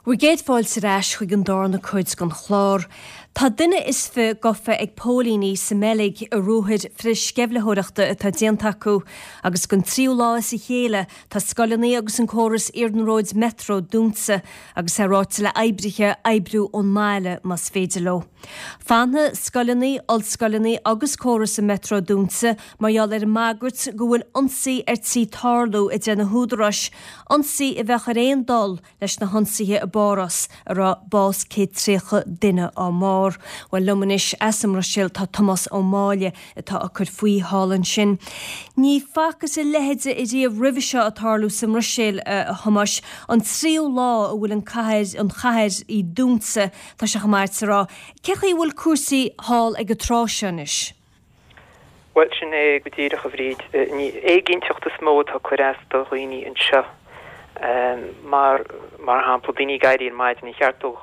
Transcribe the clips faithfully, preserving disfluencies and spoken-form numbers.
Bhur gcéad fáilte ar ais chuig an darna cuid den chlár. Tá duine is fiche gafa ag póilíní sa mBeilg i ruathair frithsceimhlitheoireachta atá déanta acu, agus don tríú lá as a chéile tá scoileanna agus an córas iarnróid metro dúnta agus é ráite le oibrithe oibriú ón mbaile más féidir leo. Fanfaidh scoileanna, ollscoileanna agus córas an metro dúnta mar gheall ar an mbagairt go bhfuil ionsaí ar tí tarlú a deir na húdaráis, ionsaí a bheadh ar aon dul leis na hionsaithe i bPáras a raibh bás céad tríocha duine á mbarr. Bhuel liom anois as an mBruiséil tá Tomás Ó Máille atá ag cur faoi thall ansin. Ní facthas a leithéid ariamh roimhe seo ag tarlú sa mBruiséil a Thomáis, an tríú lá a bhfuil an cathair an chathair í dúnta tá sé chomh maith a rá. Cé chaoi a bhfuil cúrsaí thall ag an tráth seo anois? Bhuel, sin é go díreach, a Bhríd. Ní éiginnteacht is mó atá ag cur as do dhaoine anseo. Mar, mar shampla, daoine ag éirí ar maidin, an cheart dóibh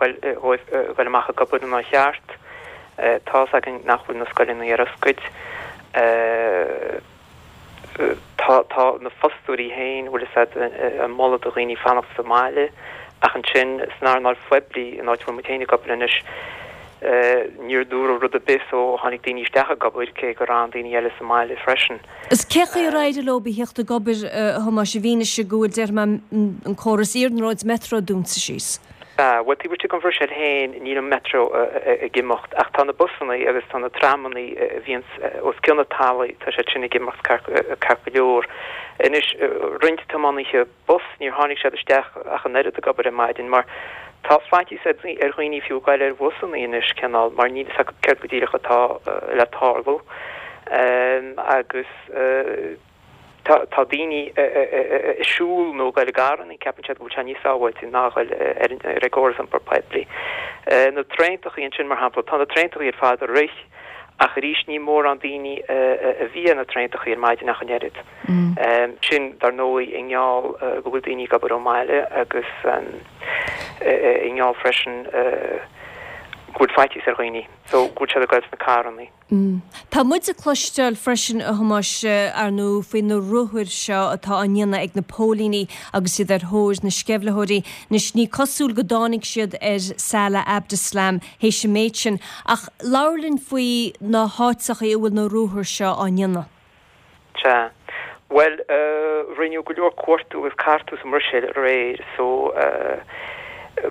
dul amach ag obair nó nár cheart. Tá's againn nach bhfuil na scoileanna ar oscailt. Tá, tá na fostóirí féin, bhfuil fhios a'd, ag moladh do dhaoine fanacht sa mbaile. Ach ansin, san earnáil phoiblí, an áit a bhfuil muid féin ag obair anois, níor dúradh rud ar bith so tháinig daoine isteach ag obair, cé gur fhan daoine eile sa mbaile freisin. Is cé chaoi ar éirigh leo a theacht ag obair, a Thomáis, i bhfianaise go bhfuil, déarfaidh mé, an córas iarnróid metro dúnta síos? Sea, bhuel, taobh istigh den Bhruiséil féin níl an metro ag imeacht ach tá na busanna agus tá na tramanna a bhíonns os cionn an talaimh, tá siad sin ag imeacht ceart go leor. Anois, roinnt tiománaithe bus, níor tháinig siad isteach ach an oiread ag obair ar maidin mar tá faitíos ar dhaoine fiú goil ar bhusanna anois, cineál, mar níl fhios acu céard go díreach atá le tarlú agus tá tá daoine ag siúl nó ag goil i gcarranna, ceapann siad go bhfuil sé níos sábháilte ná a ghoil ar an gcóras iompair poiblí. Na traentachaí ansin, mar shampla, tá na traentachaí ar fad ag rith ach arís ní mórán daoine a bhí ar na traentachaí ar maidin ach an oiread. Sin, dar ndóigh, i ngeall go bhfuil daoine ag obair ón mbaile agus i ngeall freisin go bhfuil faitíos ar dhaoine so go bhfuil siad ag goil sna carrannaí. Tá muid ag cloisteáil freisin, a Thomáis, ar ndóigh, faoi na ruathair seo atá á ndéanamh ag na póilíní agus iad ar thóir na sceimhlitheoirí. Anois, ní cosúil go dtáinig siad ar Salah Abdeslam théis an méid sin, ach labhair linn faoi na háiteachaí a bhfuil na ruathair seo á ndéanamh. Sea. Bhuel, rinneadh go leor cuartú agus cartú sa mBruiséil aréir so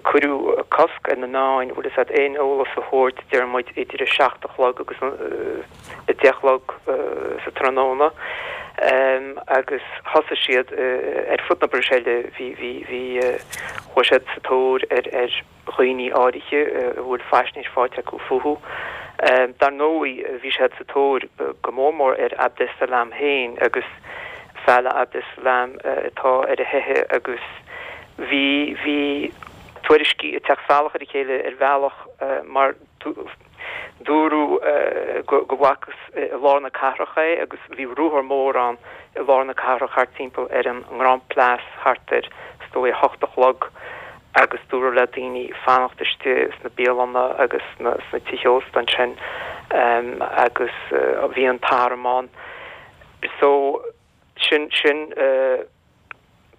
cuireadh cosc ar na meáin, bhfuil fhios a'd, aon eolas a thabhairt, deir muid, idir a seacht a chlog agus a deich a chlog sa tráthnóna agus thosaigh siad ar fud na Bruiséile, bhí, bhí, bhí, chuaigh siad sa tóir ar, ar. dhaoine áirithe a bhfuil faisnéis faighte acu fúthu. Dar ndóigh, bhí siad sa tóir go mór mór ar Abdeslam féin agus Salah Abdeslam atá ar a theitheadh agus bhí bhí tuairiscí ag teacht salach ar a chéile ar bhealach mar Dúradh go bhfacthas i lár na cathrach é agus bhí ruathar mór ann i lár na cathrach thart timpeall ar an nGrand Place thart ar, is dóigh, a hocht a chlog agus dúradh le daoine fanacht istigh sna bialanna agus sna tithe ósta ansin agus bhí an t-arm ann. So sin, sin.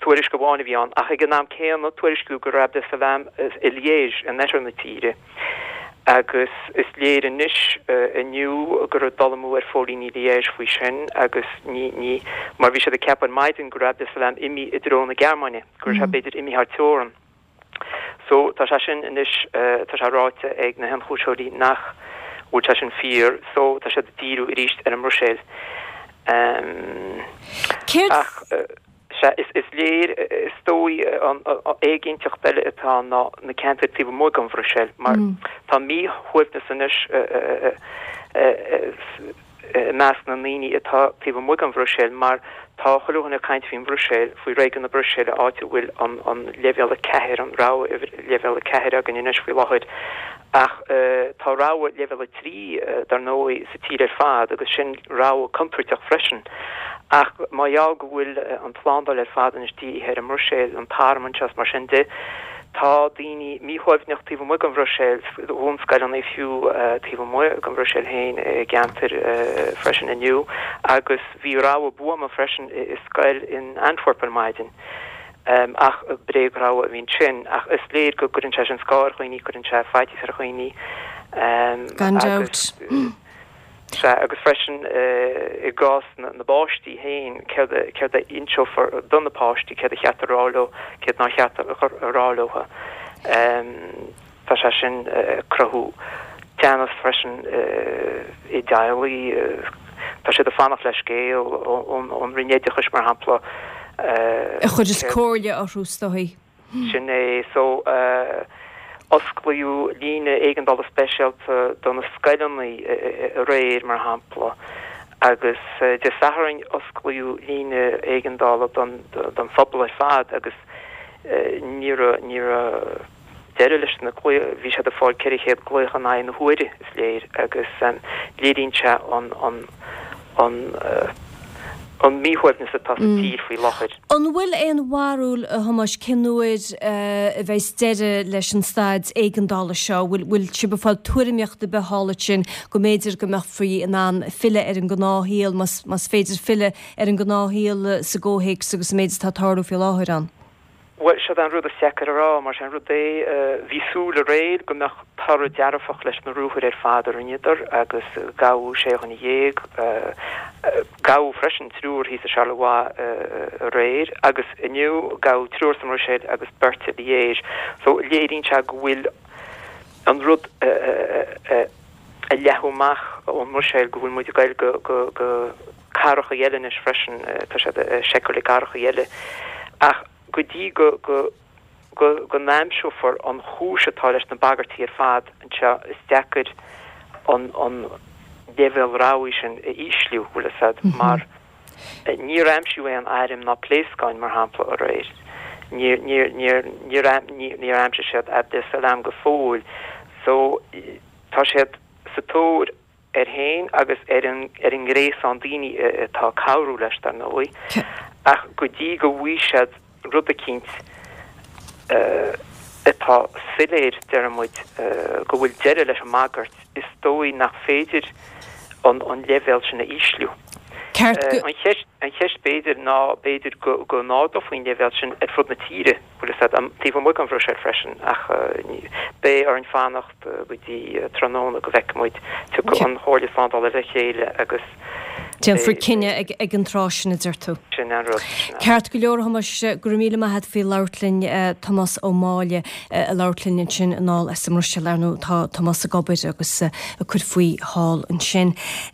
Tuairisc amháin a bhí ann, ach ag an am céanna tuairisciú go raibh Abdeslam i Liège in oirthear na tíre agus is léir anois inniu go raibh dul amú ar phóilíní Liège faoi sin agus ní, ní, mar bhí siad ag ceapadh ar maidin go raibh Abdeslam imithe i dtreo na Gearmáine, go raibh sé b'fhéidir imithe thar teorann. So tá sé sin anois, tá sé ráite ag na hionchúisitheoirí nach bhfuil sé sin fíor, so tá siad ag díriú arís ar an mBruiséil. Céard. Ach. Sea, is léir, is dóigh, an éiginnteacht eile atá ann ná na ceantair taobh amuigh den Bhruiséil, mar tá míshuaimhneas anois i measc na ndaoine atá taobh amuigh den Bhruiséil, mar tá chuile dhuine ag caint faoin Bhruiséil, faoi réigiún na Bruiséile, áit a bhfuil an leibhéal a ceathair, an rabhadh leibhéal a ceathair againn anois faoi láthair. Ach tá rabhadh leibhéal a trí, dar ndóigh, sa tír ar fad agus sin rabhadh contúirteach freisin. Ach mar gheall go bhfuil an tslándáil ar fad anois dírithe ar an mBruiséil, an t-arm anseo is mar sin de, tá daoine míshuaimhneach taobh amuigh den Bhruiséil, dhún scoileanna fiú taobh amuigh den Bhruiséil féin i gceantair freisin inniu agus bhí rabhadh buama freisin i scoil in Antwerp ar maidin. Ach bréagrabhadh a bhí ansin, ach is léir go gcuireann sé sin scáth ar dhaoine, cuireann sé faitíos ar dhaoine. Gan dabht. Sea, agus freisin i gcás na bpáistí féin, céard céard a inseofar do na páistí, céard a cheart a rá leo, céard nár cheart a rá leo. Tá sé sin ag cruthú teannas freisin i dteaghlaigh. Tá siad ag fanacht le scéal ón Roinn Oideachais, mar shampla. A chuirfeas comhairle orthu, is dóigh. Sin é. So, osclaíodh líne éigeandála speisialta do na scoileanna aréir, mar shampla, agus Dé Sathairn osclaíodh líne éigeandála don phobal ar fad agus ní raibh, ní raibh deireadh leis na glaoch, bhí siad ag fáil ceithre chéad glaoch in aghaidh na huaire, is léir, agus léiríonn sé an, an, an, an míshuaimhneas atá sa tír faoi láthair. An bhfuil aon bharúil, a Thomáis, cén uair a bheas deireadh leis an staid éigeandála seo? Bhfuil bhfuil sibh ag fáil tuairimíocht ar bith thall ansin go mb'fhéidir go mbeifí in ann filleadh ar an ngnáthshaol, más más féidir filleadh ar an ngnáthshaol sa gcomhthéacs agus an méid atá ag tarlú faoi láthair ann? Bhuel, seo an rud is deacair a rá, mar sin rud é, bhí súil aréir go mbeadh toradh dearfach leis na ruathair ar fad a rinneadar agus gabhadh sé dhuine dhéag, gabhadh freisin triúr thíos i Charleroi aréir agus inniu gabhadh triúr sa mBruiséil agus beirt i Liège. So léiríonn sé go bhfuil an rud ag leathadh amach ón mBruiséil, go bhfuil muid ag goil go go cathracha eile anois freisin, tá siad ag seiceáil i gcathracha eile. Ach go dtí go go go go n-aimseofar an chúis atá leis na bagairtí ar fad anseo, is deacair an an leibhéal rabhaidh sin a ísliú, bhfuil fhios a'd, mar níor aimsíodh aon airm ná pléascáin, mar shampla, aréir. Níor níor níor níor níor aimsigh siad Abdeslam go fóill. So tá siad sa tóir air féin agus ar an ar an ngréasán daoine atá ag cabhrú leis, dar ndóigh, ach go dtí go bhfaighidh siad rud eicínt atá soiléir, deir muid, go bhfuil deireadh leis an mbagairt, is dóigh nach féidir an an leibhéal sin a ísliú. Ceart go. An cheist an cheist b'fhéidir ná b'fhéidir go go n-ardófaí an leibhéal sin ar fud na tíre, bhfuil fhios a'd, taobh amuigh den Bhruiséil freisin, ach beidh orainn fanacht. go dtí tráthnóna go bhfeicfidh muid. Tiocfaidh an Chomhairle Slándála le chéile agus Déanfar cinneadh ag an tráth sin, a deir tú. Sin an rud, sin é. Ceart go leor, a Thomáis, go raibh míle maith agat faoi labhairt linn. Tomás Ó Máille ag labhairt linn ansin anall as an mBruiséil. Ar ndóigh, tá Tomás ag obair agus ag cur faoi thall ansin.